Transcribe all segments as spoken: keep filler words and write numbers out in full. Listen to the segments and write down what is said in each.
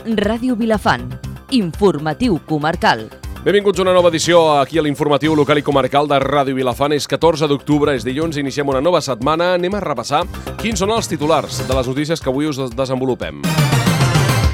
Ràdio Vilafant. Informatiu comarcal. Benvinguts a una nova edició aquí a l'informatiu local i comarcal de Ràdio Vilafant. És catorze d'octubre, és dilluns, iniciem una nova setmana. Anem a repassar quins són els titulars de les notícies que avui us desenvolupem.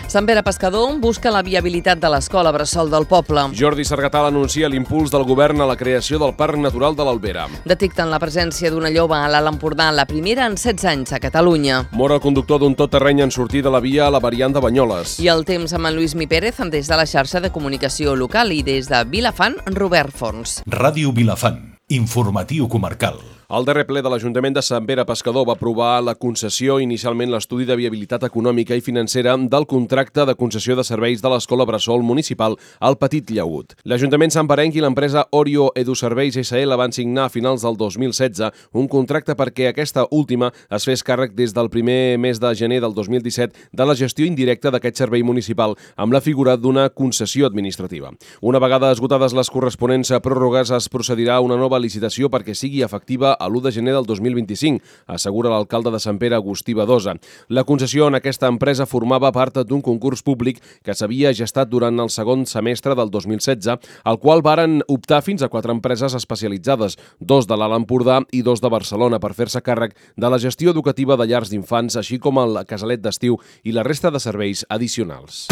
Sant Pere Pescador busca la viabilitat de l'escola bressol del poble. Jordi Sargatal anuncia l'impuls del govern a la creació del Parc Natural de l'Albera. Detecten la presència d'una lloba a l'Alt Empordà, la primera en setze anys a Catalunya. Mor el conductor d'un tot terreny en sortir de la via a la variant de Banyoles. I el temps amb en Lluís Mi Pérez des de la xarxa de comunicació local i des de Vilafant, Robert Fons. Ràdio Vilafant, informatiu comarcal. El darrer ple de l'Ajuntament de Sant Pere Pescador va aprovar la concessió, inicialment l'estudi de viabilitat econòmica i financera del contracte de concessió de serveis de l'Escola Bressol Municipal al Petit Llaüt. L'Ajuntament santperenc i l'empresa Orio Eduserveis essa ele van signar a finals del dos mil setze un contracte perquè aquesta última es fes càrrec des del primer mes de gener del dos mil disset de la gestió indirecta d'aquest servei municipal amb la figura d'una concessió administrativa. Una vegada esgotades les corresponents pròrrogues, es procedirà a una nova licitació perquè sigui efectiva a l'u de gener del dos mil vint-i-cinc, assegura l'alcalde de Sant Pere, Agustí Badosa. La concessió en aquesta empresa formava part d'un concurs públic que s'havia gestat durant el segon semestre del dos mil setze, al qual varen optar fins a quatre empreses especialitzades, dos de l'Alt Empordà i dos de Barcelona, per fer-se càrrec de la gestió educativa de llars d'infants, així com el casalet d'estiu i la resta de serveis addicionals.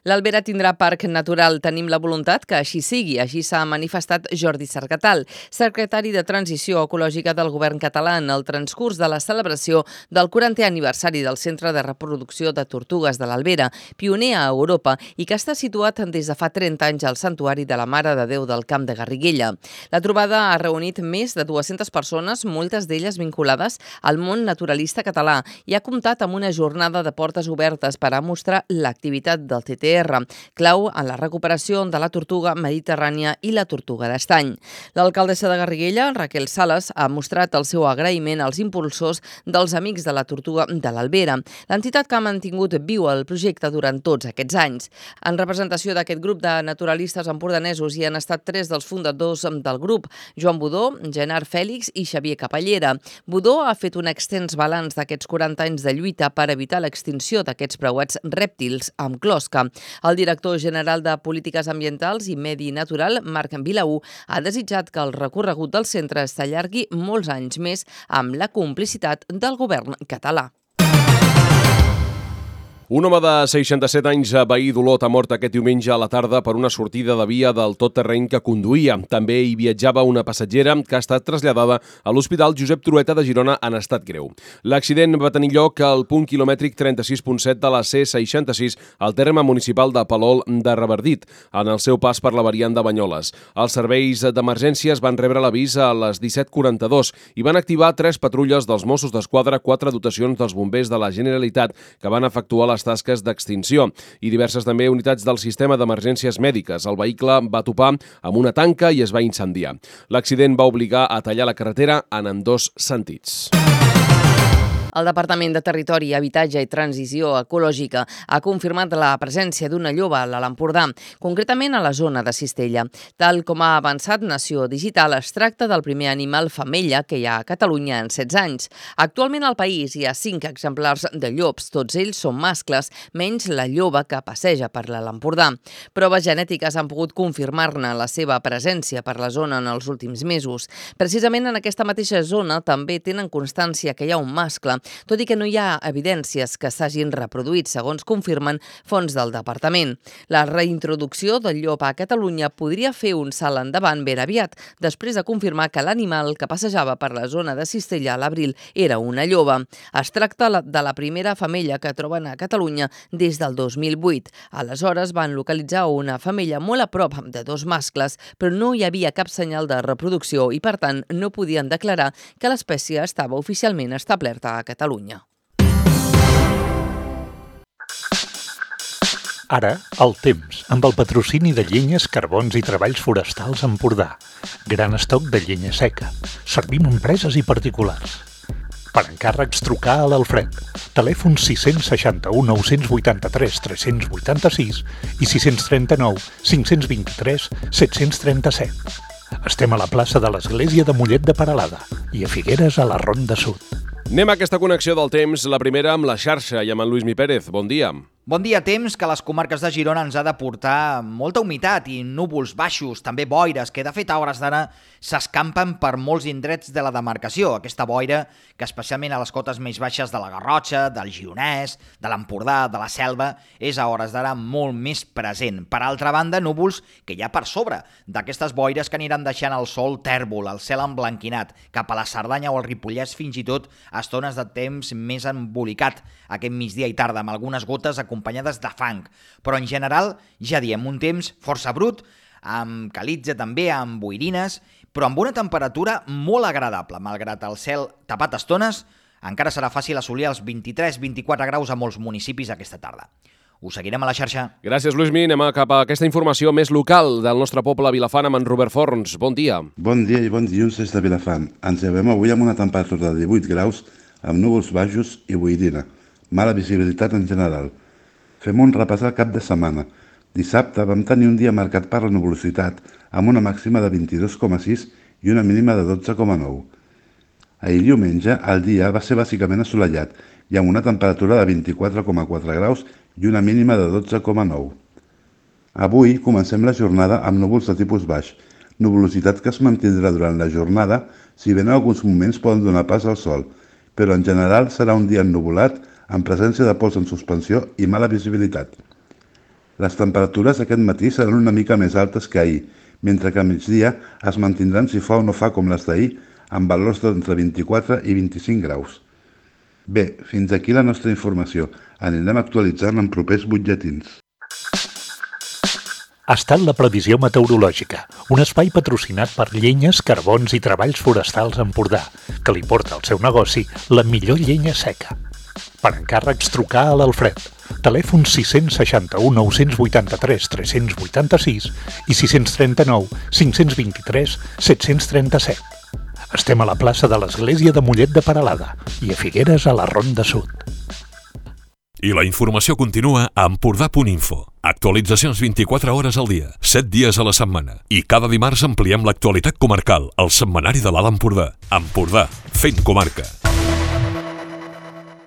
L'Albera tindrà parc natural. Tenim la voluntat que així sigui. Així s'ha manifestat Jordi Sargatal, secretari de Transició Ecològica del Govern català, en el transcurs de la celebració del quarantè aniversari del Centre de Reproducció de Tortugues de l'Albera, pioner a Europa i que està situat des de fa trenta anys al Santuari de la Mare de Déu del Camp de Garriguella. La trobada ha reunit més de dues-centes persones, moltes d'elles vinculades al món naturalista català, i ha comptat amb una jornada de portes obertes per a mostrar l'activitat del T T R, clau en la recuperació de la tortuga mediterrània i la tortuga d'estany. L'alcaldessa de Garriguella, Raquel Sales, ha mostrat el seu agraïment als impulsors dels Amics de la Tortuga de l'Albera, l'entitat que ha mantingut viu el projecte durant tots aquests anys. En representació d'aquest grup de naturalistes empordanesos hi han estat tres dels fundadors del grup, Joan Budó, Genard Fèlix i Xavier Capellera. Budó ha fet un extens balanç d'aquests quaranta anys de lluita per evitar l'extinció d'aquests preuats rèptils amb closca. El director general de Polítiques Ambientals i Medi Natural, Marc Vilaú, ha desitjat que el recorregut del centre s'allargui molts anys més amb la complicitat del govern català. Un home de seixanta-set anys, veí d'Olot, ha mort aquest diumenge a la tarda per una sortida de via del tot terreny que conduïa. També hi viatjava una passatgera que ha estat traslladada a l'Hospital Josep Trueta de Girona en estat greu. L'accident va tenir lloc al punt quilomètric trenta-sis punt set de la C seixanta-sis al terme municipal de Palol de Revardit, en el seu pas per la variant de Banyoles. Els serveis d'emergències van rebre l'avís a les disset quaranta-dos i van activar tres patrulles dels Mossos d'Esquadra, quatre dotacions dels bombers de la Generalitat que van efectuar les tasques d'extinció i diverses també unitats del sistema d'emergències mèdiques. El vehicle va topar amb una tanca i es va incendiar. L'accident va obligar a tallar la carretera en ambdós sentits. El Departament de Territori, Habitatge i Transició Ecològica ha confirmat la presència d'una lloba a l'Alt Empordà, concretament a la zona de Cistella. Tal com ha avançat Nació Digital, es tracta del primer animal femella que hi ha a Catalunya en setze anys. Actualment al país hi ha cinc exemplars de llops, tots ells són mascles, menys la lloba que passeja per l'Alt Empordà. Proves genètiques han pogut confirmar-ne la seva presència per la zona en els últims mesos. Precisament en aquesta mateixa zona també tenen constància que hi ha un mascle, tot i que no hi ha evidències que s'hagin reproduït, segons confirmen fonts del departament. La reintroducció del llop a Catalunya podria fer un salt endavant ben aviat, després de confirmar que l'animal que passejava per la zona de Cistella a l'abril era una lloba. Es tracta de la primera femella que troben a Catalunya des del dos mil vuit. Aleshores van localitzar una femella molt a prop de dos mascles, però no hi havia cap senyal de reproducció i, per tant, no podien declarar que l'espècie estava oficialment establerta a Catalunya. Ara, el temps, amb el patrocini de Llenyes, Carbons i Treballs Forestals Empordà. Gran estoc de llenya seca. Servim empreses i particulars. Per encàrrecs, trucar a l'Alfred. Telèfon sis seixanta-u nou vuitanta-tres tres vuitanta-sis i sis trenta-nou cinc vint-i-tres set trenta-set. Estem a la plaça de l'Església de Mollet de Peralada i a Figueres, a la Ronda Sud. Anem a aquesta connexió del temps, la primera amb la xarxa i amb en Lluís Mi Pérez. Bon dia. Bon dia, temps que a les comarques de Girona ens ha de portar molta humitat i núvols baixos, també boires, que de fet a hores d'ara s'escampen per molts indrets de la demarcació. Aquesta boira que especialment a les cotes més baixes de la Garrotxa, del Gironès, de l'Empordà, de la Selva, és a hores d'ara molt més present. Per altra banda, núvols que hi ha per sobre d'aquestes boires que aniran deixant el sol tèrbol, el cel emblanquinat, cap a la Cerdanya o el Ripollès, fins i tot a estones de temps més embolicat aquest migdia i tarda, amb algunes gotes acompanyades de fang. Però en general, ja diem, un temps força brut, amb calitza també, amb boirines, però amb una temperatura molt agradable. Malgrat el cel tapat a estones, encara serà fàcil assolir els vint-i-tres vint-i-quatre graus a molts municipis aquesta tarda. Us seguirem a la xarxa. Gràcies, Luismi. Anem cap a aquesta informació més local del nostre poble Vilafant amb en Robert Forns. Bon dia. Bon dia i bon dilluns des de Vilafant. Ens llevem avui amb una temperatura de divuit graus, amb núvols baixos i boirina. Mala visibilitat en general. Fem un repàs al cap de setmana. Dissabte vam tenir un dia marcat per la nuvolositat, amb una màxima de vint-i-dos coma sis i una mínima de dotze coma nou. Ahir diumenge el dia va ser bàsicament assolellat i amb una temperatura de vint-i-quatre coma quatre graus i una mínima de dotze coma nou. Avui comencem la jornada amb núvols de tipus baix, nuvolositat que es mantindrà durant la jornada, si bé en alguns moments poden donar pas al sol, però en general serà un dia ennuvolat amb presència de pols en suspensió i mala visibilitat. Les temperatures aquest matí seran una mica més altes que ahir, mentre que a migdia es mantindran si fa o no fa com les d'ahir, amb valors d'entre vint-i-quatre i vint-i-cinc graus. Bé, fins aquí la nostra informació. Anirem actualitzant en propers butlletins. Ha estat la previsió meteorològica, un espai patrocinat per Llenyes, Carbons i Treballs Forestals Empordà, que li porta al seu negoci la millor llenya seca. Per encàrrecs, trucar a l'Alfred. Telèfon sis seixanta-u, nou vuitanta-tres, tres vuitanta-sis i sis trenta-nou, cinc vint-i-tres, set trenta-set. Estem a la plaça de l'Església de Mollet de Peralada i a Figueres a la Ronda Sud. I la informació continua a empordà punt info. Actualitzacions vint-i-quatre hores al dia, set dies a la setmana. I cada dimarts ampliem l'actualitat comarcal al setmanari de l'Alt Empordà. Empordà, fent comarca.